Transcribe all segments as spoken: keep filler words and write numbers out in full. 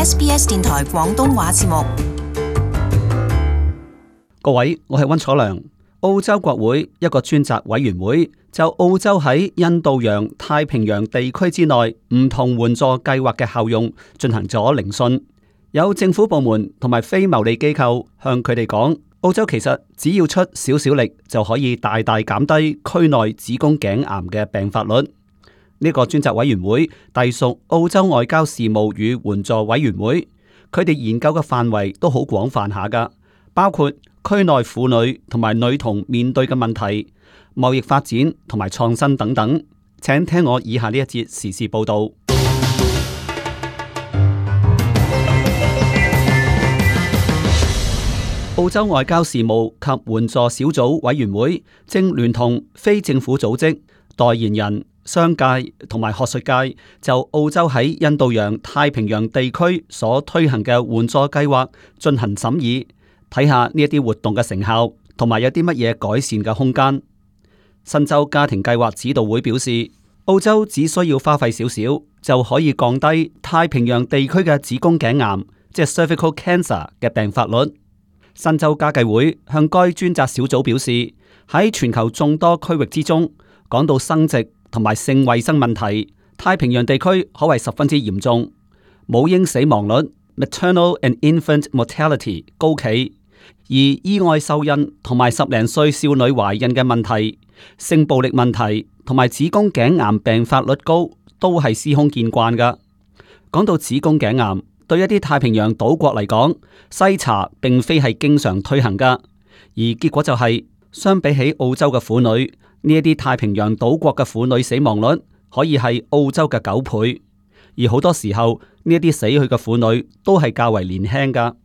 S B S 電台廣東話節目。各位，我係溫楚良。澳洲國會一個專責委員會就澳洲喺印度洋太平洋地區之內唔同援助計劃嘅效用進行咗聆訊。有政府部門同埋非牟利機構向佢哋講，澳洲其實只要出少少力就可以大大減低區內子宮頸癌嘅病發率。呢、這個專責委員會隸屬澳洲外交事務與援助委員會，佢哋研究嘅範圍都好廣泛下㗎，包括區內婦女同埋女童面對嘅問題、貿易發展同埋創新等等。請聽我以下呢一節時事報道。澳洲外交事務及援助小組委員會正聯同非政府組織、代言人、商界同埋學術界就澳洲喺印度洋太平洋地區所推行嘅援助計劃進行審議，睇下呢一啲活動嘅成效同埋有啲乜嘢改善嘅空間。新州家庭計劃指導會表示，澳洲只需要花費少少就可以降低太平洋地區嘅子宮頸癌，即係 cervical cancer 嘅病發率。新州家計會向該專責小組表示，喺全球眾多區域之中，講到生殖同埋性衛生問題，太平洋地區可謂十分之嚴重，母嬰死亡率 maternal and infant mortality 高企，而意外受孕同埋十零歲少女懷孕嘅問題、性暴力問題同埋子宮頸癌病發率高，都係司空見慣噶。講到子宮頸癌，對一啲太平洋島國嚟講，篩查並非係經常推行噶，而結果就係、是、相比起澳洲嘅婦女，呢一啲太平洋島國嘅婦女死亡率可以係澳洲嘅九倍，而好多時候呢一啲死去嘅婦女都係較為年輕噶。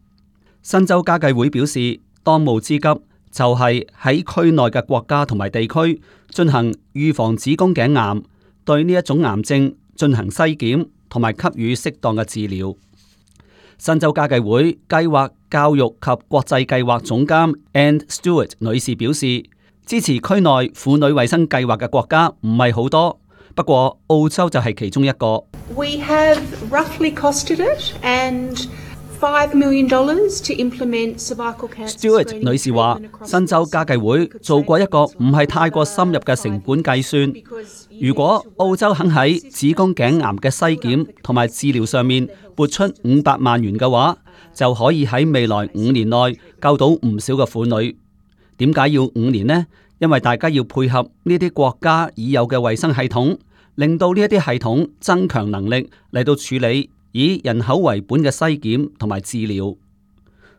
新州家計會表示，當務之急就係喺區內嘅國家同埋地區進行預防子宮頸癌，對呢一種癌症進行篩檢同埋給予適當嘅治療。新州家計會計劃教育及國際計劃總監 Anne Stewart 女士表示，支持區內婦女衛生計劃嘅國家唔係好多，不過澳洲就係其中一個。We have roughly costed it and five million dollars to implement cervical cancer. Stewart 女士話，新州家計會做過一個唔係太過深入嘅成本計算。如果澳洲肯喺子宮頸癌嘅篩檢同埋治療上面撥出五百萬元嘅話，就可以喺未來五年內救到唔少嘅婦女。點解要五年呢？因為大家要配合呢啲國家已有嘅衛生系統，令到呢一啲系統增強能力嚟到處理以人口為本嘅篩檢同埋治療。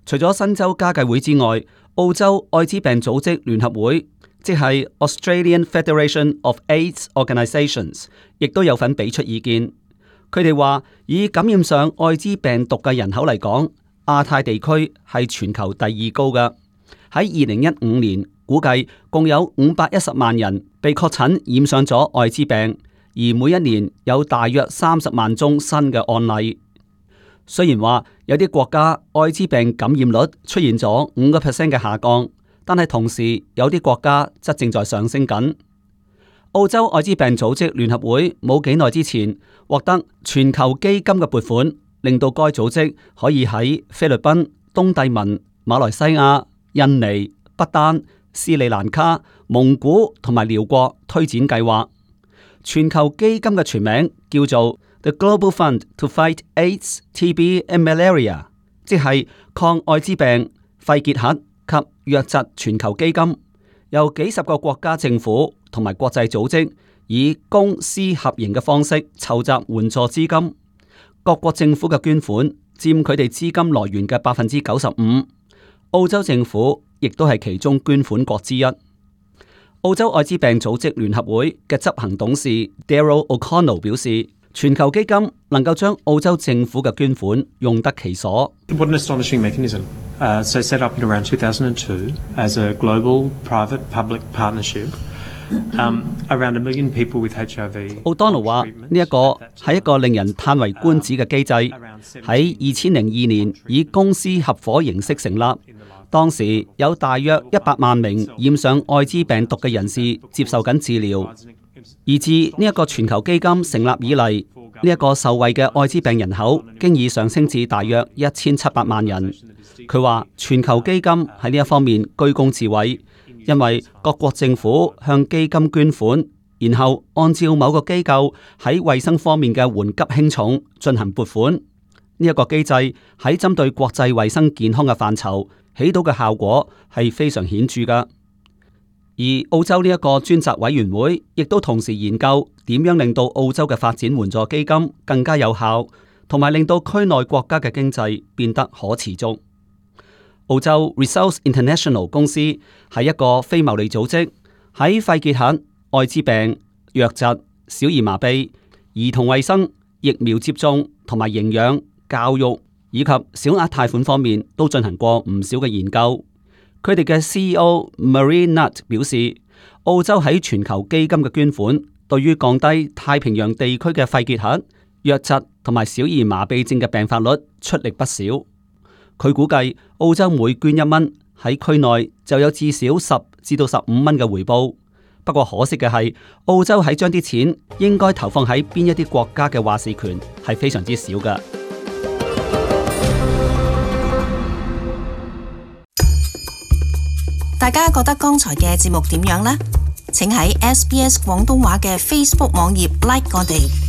除咗新州家計會之外，澳洲艾滋病組織聯合會，即係 Australian Federation of AIDS Organisations， 亦都有份俾出意見。佢哋話，以感染上艾滋病毒嘅人口嚟講，亞太地區係全球第二高嘅。喺二零一五年，估計共有五百一十萬人被確診染上咗艾滋病，而每一年有大約三十萬宗新嘅案例。雖然話有啲國家艾滋病感染率出現咗五個 percent 嘅下降，但係同時有啲國家則正在上升緊。澳洲艾滋病組織聯合會冇幾耐之前獲得全球基金嘅撥款，令到該組織可以喺菲律賓、東帝汶、馬來西亞、印尼、不丹、斯里蘭卡、蒙古同埋寮國推展計劃。全球基金嘅全名叫做 The Global Fund to Fight AIDS, T B and Malaria， 即係抗艾滋病、肺結核及瘧疾全球基金，由幾十個國家政府同埋國際組織以公私合營嘅方式籌集援助資金。各國政府嘅捐款佔佢哋資金來源嘅百分之九十五。澳洲政府亦都係其中捐款國之一。澳洲艾滋病組織聯合會嘅執行董事 Daryl O'Connell 表示，全球基金能夠將澳洲政府嘅捐款用得其所。What an astonishing mechanism. Uh, so set up in around two thousand two as a global private-public partnership. Um, around a million people with H I V. 奧當奴話：呢一個係一個令人嘆為觀止嘅機制，喺二千零二年以公司合夥形式成立。當時有大約一百萬名染上艾滋病毒嘅人士接受緊治療。而自呢一個全球基金成立以嚟，呢一個受惠嘅愛滋病人口經已上升至大約一千七百萬人。佢話全球基金喺呢一方面居功至偉，因為各國政府向基金捐款，然後按照某個機構喺衛生方面嘅緩急輕重進行撥款。呢一個機制喺針對國際衛生健康嘅範疇起到嘅效果係非常顯著㗎。而澳洲呢一個專責委員會亦都同時研究點樣令到澳洲嘅發展援助基金更加有效，同埋令到區內國家嘅經濟變得可持續。澳洲 Results International 公司係一個非牟利組織，喺肺結核、愛滋病、瘧疾、小兒麻痹、兒童衛生、疫苗接種同埋營養、教育以及小額貸款方面都進行過唔少嘅研究。佢哋嘅 C E O Marie Nutt 表示，澳洲喺全球基金嘅捐款，對於降低太平洋地區嘅肺結核、瘧疾同埋小兒麻痹症嘅病發率出力不少。佢估計澳洲每捐一蚊，喺區內就有至少十至到十五蚊嘅回報。不過可惜嘅係，澳洲喺將啲錢應該投放喺邊一啲國家嘅話事權係非常之少㗎。大家覺得剛才嘅節目點樣呢？請喺 S B S 廣東話嘅 Facebook 網頁 like 我哋。